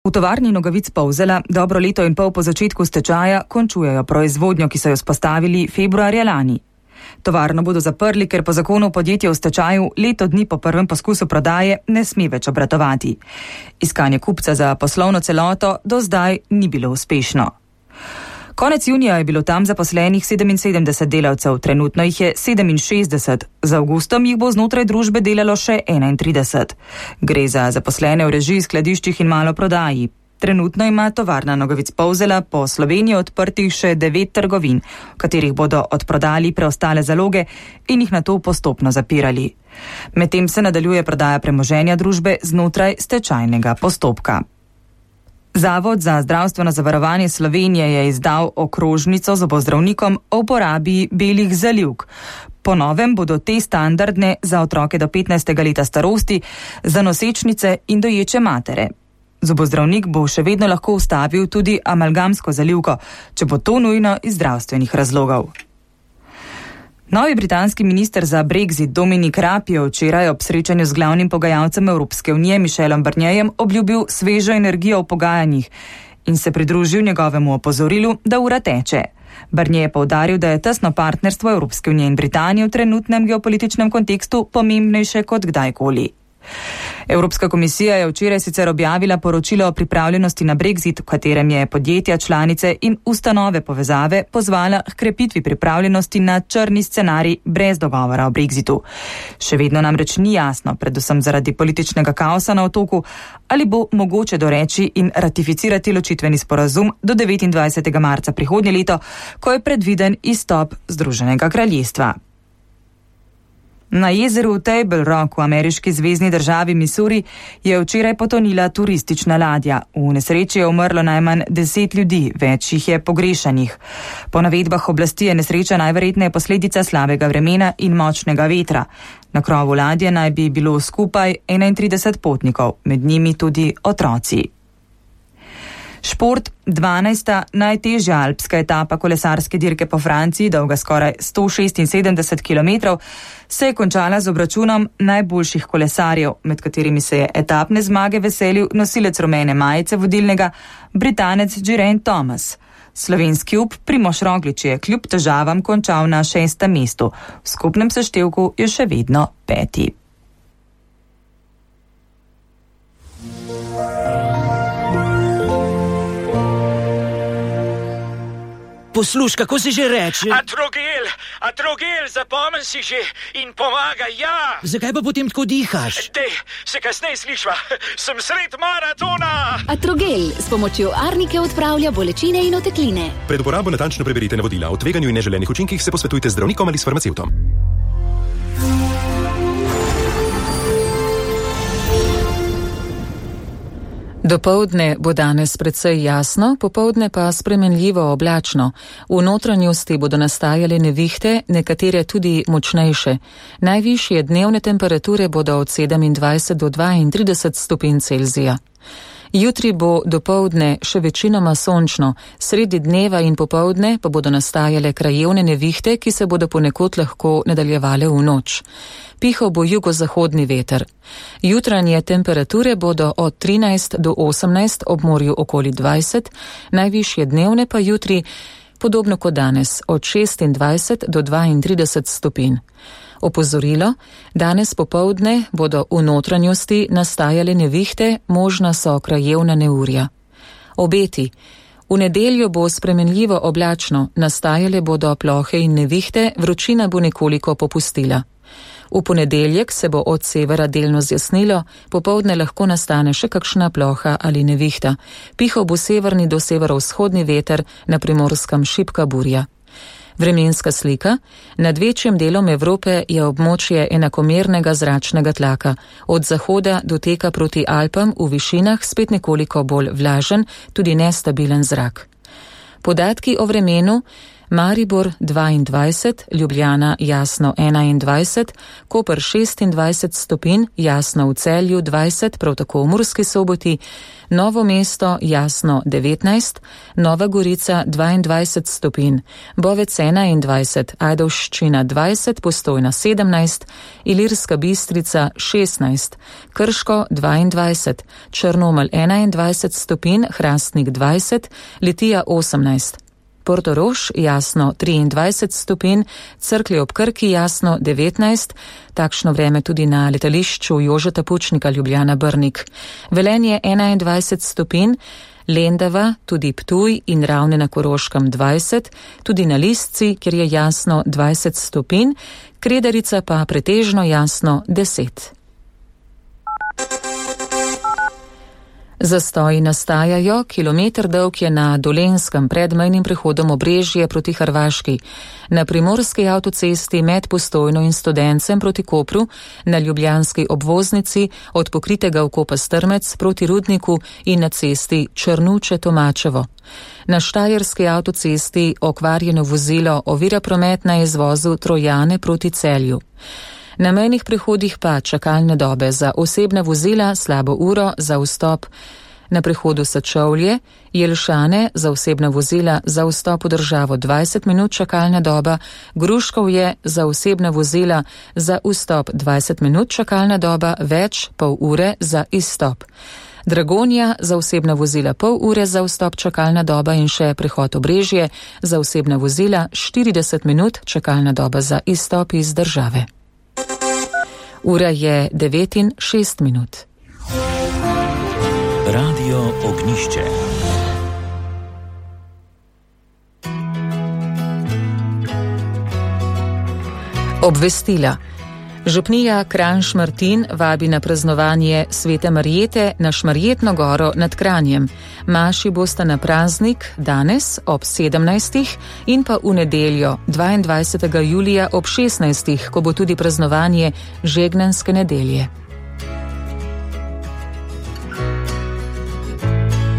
V tovarni Nogavic Polzela dobro leto in pol po začetku stečaja končujejo proizvodnjo, ki so jo vzpostavili februarja lani. Tovarno bodo zaprli, ker po zakonu podjetje v stečaju leto dni po prvem poskusu prodaje ne sme več obratovati. Iskanje kupca za poslovno celoto do zdaj ni bilo uspešno. Konec junija je bilo tam zaposlenih 77 delavcev, trenutno jih je 67, z avgustom jih bo znotraj družbe delalo še 31. Gre za zaposlene v režiji, skladiščih in maloprodaji. Trenutno ima tovarna Nogavic Polzela po Sloveniji odprtih še 9 trgovin, v katerih bodo odprodali preostale zaloge in jih nato postopno zapirali. Medtem se nadaljuje prodaja premoženja družbe znotraj stečajnega postopka. Zavod za zdravstveno zavarovanje Slovenije je izdal okrožnico zobozdravnikom o uporabi belih zalivk. Po novem bodo te standardne za otroke do 15. leta starosti, za nosečnice in doječe matere. Zobozdravnik bo še vedno lahko ustavil tudi amalgamsko zalivko, če bo to nujno iz zdravstvenih razlogov. Novi britanski minister za Brexit Dominic Raab je včeraj ob srečanju z glavnim pogajalcem Evropske unije Michelom Barnierjem obljubil svežo energijo v pogajanjih in se pridružil njegovemu opozorilu, da ura teče. Barnier je poudaril, da je tesno partnerstvo Evropske unije in Britanije v trenutnem geopolitičnem kontekstu pomembnejše kot kdajkoli. Evropska komisija je včeraj sicer objavila poročilo o pripravljenosti na Brexit, v katerem je podjetja, članice in ustanove povezave pozvala k krepitvi pripravljenosti na črni scenarij brez dogovora o Brexitu. Še vedno namreč ni jasno, predvsem zaradi političnega kaosa na otoku, ali bo mogoče doreči in ratificirati ločitveni sporazum do 29. marca prihodnje leto, ko je predviden izstop Združenega kraljestva. Na jezeru Table Rock v ameriški zvezni državi Missouri je včeraj potonila turistična ladja. V nesreči je umrlo najmanj 10 ljudi, več jih je pogrešanih. Po navedbah oblasti je nesreča najverjetneje posledica slabega vremena in močnega vetra. Na krovu ladje naj bi bilo skupaj 31 potnikov, med njimi tudi otroci. Šport, 12. najtežja alpska etapa kolesarske dirke po Franciji, dolga skoraj 176 km, se je končala z obračunom najboljših kolesarjev, med katerimi se je etapne zmage veselil nosilec rumene majice vodilnega, Britanec Geraint Thomas. Slovenski up Primož Roglič je kljub težavam končal na 6. mestu. V skupnem seštevku je še vedno 5. Posluš, kako si že reče? Atrogel, zapomni si že in pomaga, ja. Zakaj pa potem tako dihaš? Dej, se kasneje slišva, sem sred maratona. Atrogel s pomočjo arnike odpravlja bolečine in otekline. Pred uporabo natančno preberite navodila. O tveganju in neželenih učinkih se posvetujte z zdravnikom ali s farmacevtom. Dopoldne bo danes precej jasno, popoldne pa spremenljivo oblačno. V notranjosti bodo nastajale nevihte, nekatere tudi močnejše. Najvišje dnevne temperature bodo od 27 do 32 stopinj Celzija. Jutri bo dopoldne še večinoma sončno, sredi dneva in popoldne pa bodo nastajale krajevne nevihte, ki se bodo ponekod lahko nadaljevale v noč. Pihal bo jugozahodni veter. Jutranje temperature bodo od 13 do 18, ob morju okoli 20, najvišje dnevne pa jutri, podobno kot danes, od 26 do 32 stopinj. Opozorilo, danes popoldne bodo v notranjosti nastajale nevihte, možna so krajevna neurja. Obeti. V nedeljo bo spremenljivo oblačno, nastajale bodo plohe in nevihte, vročina bo nekoliko popustila. V ponedeljek se bo od severa delno zjasnilo, popoldne lahko nastane še kakšna ploha ali nevihta. Pihal bo severni do severovzhodni veter, na Primorskem šibka burja. Vremenska slika. Nad večjim delom Evrope je območje enakomernega zračnega tlaka. Od zahoda doteka proti Alpam v višinah spet nekoliko bolj vlažen, tudi nestabilen zrak. Podatki o vremenu. Maribor 22, Ljubljana jasno 21, Koper 26 stopinj, jasno v Celju 20, prav tako v Murski Soboti, Novo mesto jasno 19, Nova Gorica 22 stopinj, Bovec 21, Ajdovščina 20, Postojna 17, Ilirska Bistrica 16, Krško 22, Črnomelj 21 stopinj, Hrastnik 20, Litija 18. Portorož jasno 23 stopinj, Cerklje ob Krki jasno 19, takšno vreme tudi na letališču Jožeta Pučnika Ljubljana Brnik. Velenje 21 stopinj, Lendava, tudi Ptuj in Ravne na Koroškem 20, tudi na Lisci, kjer je jasno 20 stopinj, Kredarica pa pretežno jasno 10. Zastoji nastajajo, kilometer dolg je na Dolenjskem pred mejnim prehodom Obrežje proti Hrvaški, na Primorski avtocesti med Postojno in Studencem proti Kopru, na Ljubljanski obvoznici od pokritega vkopa Strmec proti Rudniku in na cesti Črnuče-Tomačevo. Na Štajerski avtocesti okvarjeno vozilo ovira promet na izvozu Trojane proti Celju. Na mejnih prehodih pa čakalne dobe za osebna vozila slabo uro za vstop na prehodu Sečovlje, Jelšane za osebna vozila za vstop v državo 20 minut čakalna doba, Gruškovje za osebna vozila za vstop 20 minut čakalna doba, več pol ure za izstop. Dragonja za osebna vozila pol ure za vstop čakalna doba in še prehod Obrežje za osebna vozila 40 minut čakalna doba za izstop iz države. Ura je 9:06. Radio Ognišče. Obvestila. Župnija Kranj-Šmartin vabi na praznovanje Svete Marjete na Šmarjetno goro nad Kranjem. Maši bosta na praznik danes ob 17. in pa v nedeljo 22. julija ob 16. ko bo tudi praznovanje Žegnanske nedelje.